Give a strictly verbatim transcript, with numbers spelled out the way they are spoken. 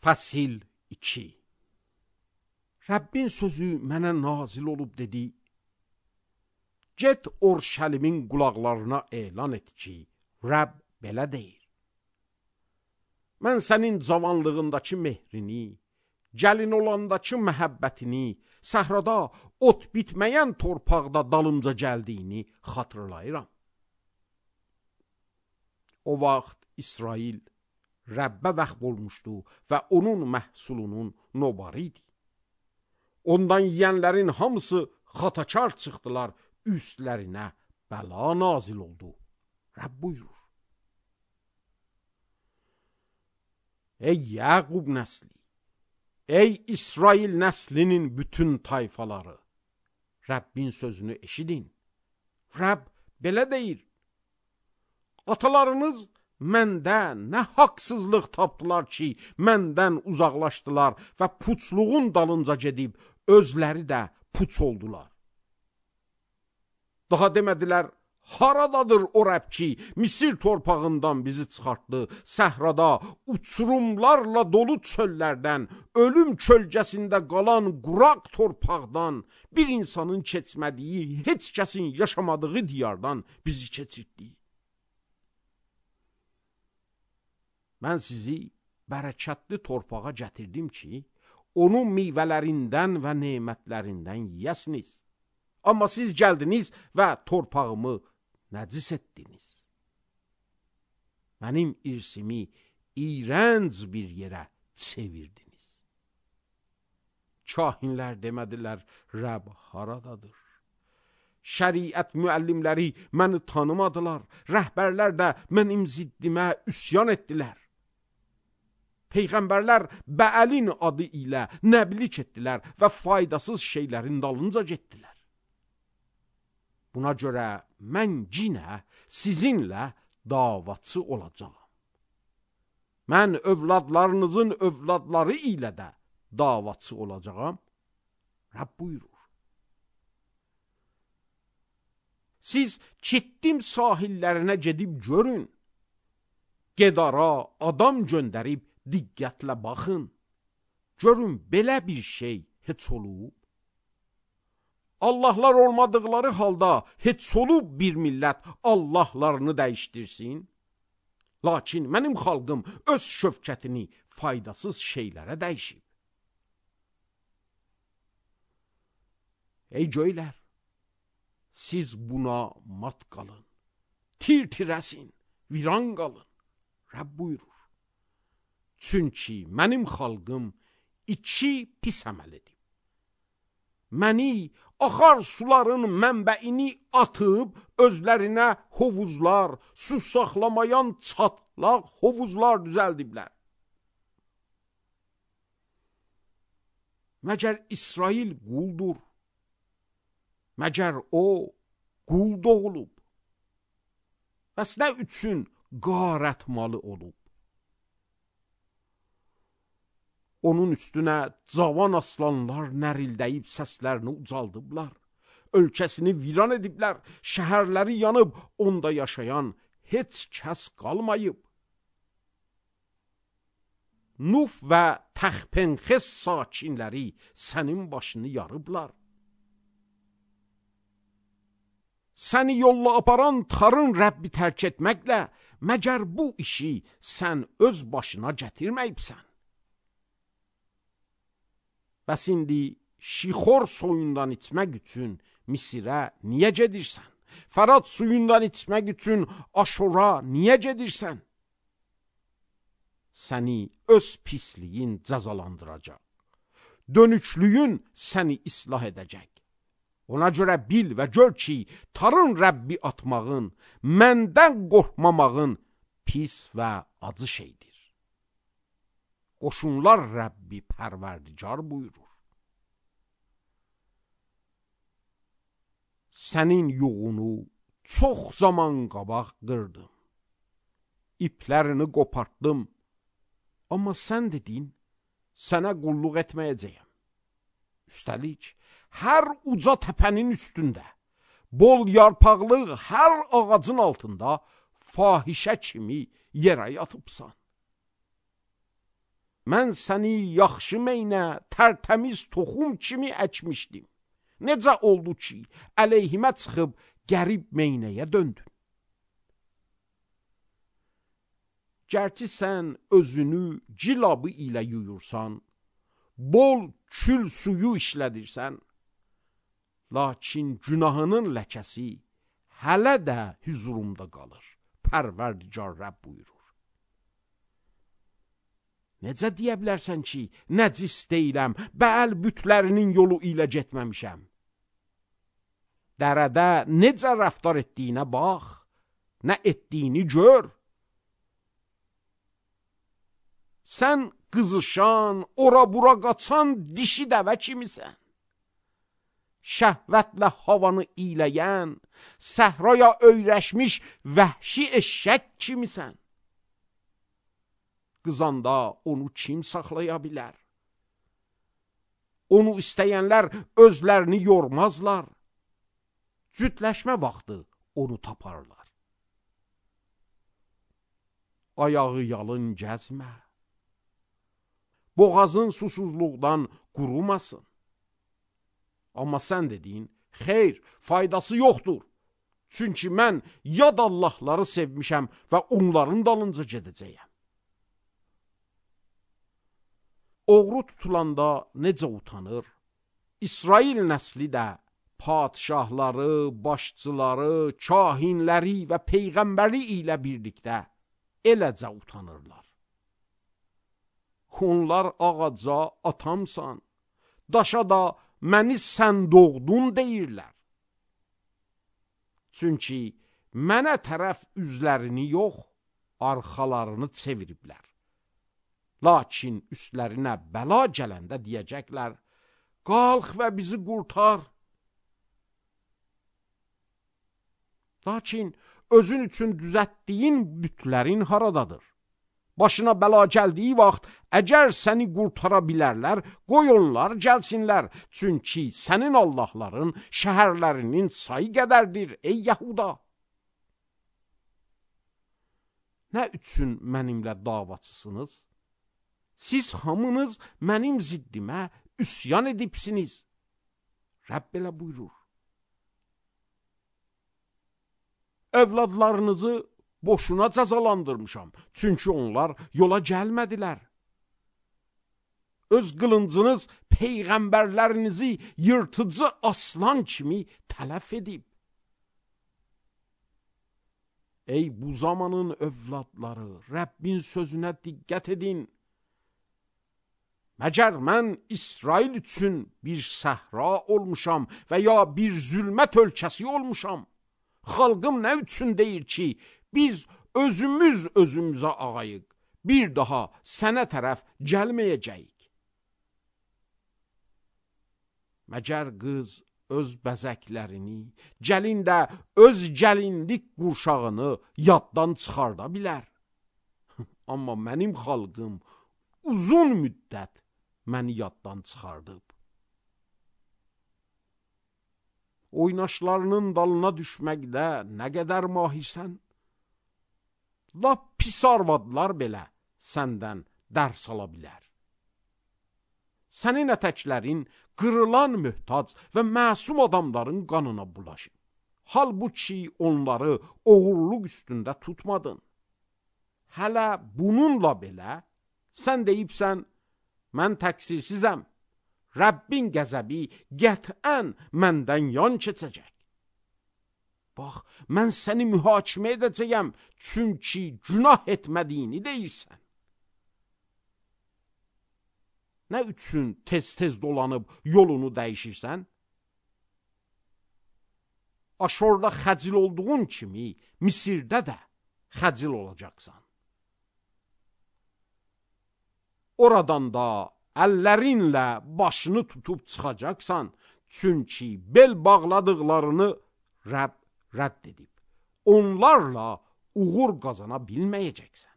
Fəsil iki. Rəbbin sözü mənə nazil olub dedi: Get Orşəlimin qulaqlarına elan et ki, Rəbb belə deyir: Mən sənin cavanlığındakı mehrini, gəlin olandakı məhəbbətini, səhrada ot bitməyən torpaqda dalımca gəldiyini xatırlayıram. O vaxt İsrail Rəbbə vəxb olmuşdu və onun məhsulunun nobarı idi. Ondan yiyənlərin hamısı xatakar çıxdılar, üstlərinə bəla nazil oldu. Rəbb buyurur: Ey Yaqub nəsli, ey İsrail nəslinin bütün tayfaları, Rəbbin sözünü eşidin. Rəbb belə deyir: Atalarınız məndə nə haqsızlıq tapdılar ki, məndən uzaqlaşdılar və puçluğun dalınca gedib, özləri də puç oldular. Daha demədilər: Haradadır o Rəbb ki, Misir torpağından bizi çıxartdı, səhrada, uçurumlarla dolu çöllərdən, ölüm kölgəsində qalan quraq torpaqdan, bir insanın keçmədiyi, heç kəsin yaşamadığı diyardan bizi keçirtdi. Mən sizi bərəkətli torpağa gətirdim ki, onun meyvələrindən və nemətlərindən yiyəsiniz. Amma siz gəldiniz və torpağımı nəcis etdiniz. Mənim irsimi iyrənc bir yerə çevirdiniz. Kahinlər demədilər: Rəbb haradadır? Şəriət müəllimləri məni tanımadılar, rəhbərlər də mənim ziddimə üsyan etdilər. Peyğəmbərlər Bəəlin adı ilə nəblik etdilər və faydasız şeylərin dalınca getdilər. Buna görə mən yenə sizinlə davaçı olacağam. Mən övladlarınızın övladları ilə də davaçı olacağam. Rəbb buyurur: Siz Kittim sahillərinə gedib görün. Gedara adam göndərib diqqətlə baxın. Görün, belə bir şey heç olub? Allahlar olmadıqları halda heç olub bir millət Allahlarını dəyişdirsin? Lakin mənim xalqım öz şövkətini faydasız şeylərə dəyişib. Ey göylər, siz buna mat qalın, tir-tirəsin, viran qalın. Rəbb buyurur: Çünki mənim xalqım iki pis əməl edib. Məni axar suların mənbəini atıb, özlərinə hovuzlar, su saxlamayan çatlaq hovuzlar düzəldiblər. Məgər İsrail quldur? Məgər o qul doğulub? Bəs nə üçün qarət malı olub? Onun üstünə cavan aslanlar nərildəyib səslərini ucaldıblar. Ölkəsini viran ediblər, şəhərləri yanıb, onda yaşayan heç kəs qalmayıb. Nuf və Təxpenxes sakinləri sənin başını yarıblar. Səni yolla aparan tarın Rəbbi tərk etməklə, məgər bu işi sən öz başına gətirməyibsən? Bəs indi Şixor soyundan içmək üçün Misirə niyə gedirsən? Fərat suyundan içmək üçün Aşora niyə gedirsən? Səni öz pisliyin cəzalandıracaq. Dönüklüyün səni islah edəcək. Ona görə bil və gör ki, tarın Rəbbi atmağın, məndən qorxmamağın pis və acı şeydir. Qoşunlar Rəbbi pərverdigar buyurur: Sənin yuğunu çox zaman qabaq qırdım. İplərini qopartdım. Amma sən dedin, sənə qulluq etməyəcəyəm. Üstəlik, hər uca təpənin üstündə, bol yarpaqlı hər ağacın altında fahişə kimi yerə yatıbsan. mən səni yaxşı meynə, tərtəmiz toxum kimi əkmişdim. Necə oldu ki, əleyhimə çıxıb qərib meynəyə döndün? Gərçi sən özünü cilabı ilə yuyursan, bol kül suyu işlədirsən, lakin günahının ləkəsi hələ də hüzurumda qalır. Pərverdigar Rəbb buyurur. Necə deyə bilərsən ki, nəcis deyiləm, bəl bütlərinin yolu ilə getməmişəm? Dərədə necə rəftar etdiyinə bax, nə etdiyini gör. Sən qızışan, ora-bura qaçan dişi dəvə kimisən. Şəhvətlə havanı iyləyən, səhraya öyrəşmiş vəhşi eşşək kimisən. Qızanda onu kim saxlaya bilər? Onu istəyənlər özlərini yormazlar. Cütləşmə vaxtı onu taparlar. Ayağı yalın gəzmə. Boğazın susuzluqdan qurumasın. Amma sən dediyin, xeyr, faydası yoxdur. Çünki mən yad Allahları sevmişəm və onların dalınca gedəcəyəm. Oğru tutulanda necə utanır? İsrail nəsli də padişahları, başçıları, kahinləri və peyğəmbəri ilə birlikdə eləcə utanırlar. Onlar ağaca atamsan, daşa da məni sən doğdun deyirlər. Çünki mənə tərəf üzlərini yox, arxalarını çeviriblər. Lakin üstlərinə bəla gələndə deyəcəklər, qalx və bizi qurtar. Lakin özün üçün düzətdiyin bütlərin haradadır? Başına bəla gəldiyi vaxt, əgər səni qurtara bilərlər, qoy onlar gəlsinlər. Çünki sənin Allahların şəhərlərinin sayı qədərdir, ey Yahuda. Nə üçün mənimlə davaçısınız? Siz hamınız mənim ziddimə üsyan edibsiniz. Rəbb belə buyurur. Övladlarınızı boşuna cəzalandırmışam, çünki onlar yola gəlmədilər. Öz qılıncınız peyğəmbərlərinizi yırtıcı aslan kimi tələf edib. Ey bu zamanın övladları, Rəbbin sözünə diqqət edin. Məgər mən İsrail üçün bir səhra olmuşam və ya bir zülmət ölkəsi olmuşam? Xalqım nə üçün deyir ki, biz özümüz özümüzə ağayıq, bir daha sənə tərəf gəlməyəcəyik. Məgər qız öz bəzəklərini, gəlin də öz gəlinlik qurşağını yaddan çıxarda bilər. Amma mənim xalqım uzun müddət məni yaddan çıxardıb. Oynaşlarının dalına düşməkdə nə qədər mahirsən? Lap pis arvadlar belə səndən dərs ala bilər. Sənin ətəklərin qırılan möhtac və məsum adamların qanına bulaşır. Halbuki onları oğurluq üstündə tutmadın. Hələ bununla belə sən deyibsən, mən təqsirsizəm, Rəbbin qəzəbi qətən məndən yan keçəcək. Bax, mən səni mühakimə edəcəyəm, çünki günah etmədiyini deyirsən. Nə üçün tez-tez dolanıb yolunu dəyişirsən? Aşorda xəcil olduğun kimi, Misirdə də xəcil olacaqsan. Oradan da əllərinlə başını tutub çıxacaqsan, çünki bel bağladıqlarını Rəbb rədd edib. Onlarla uğur qazana bilməyəcəksən.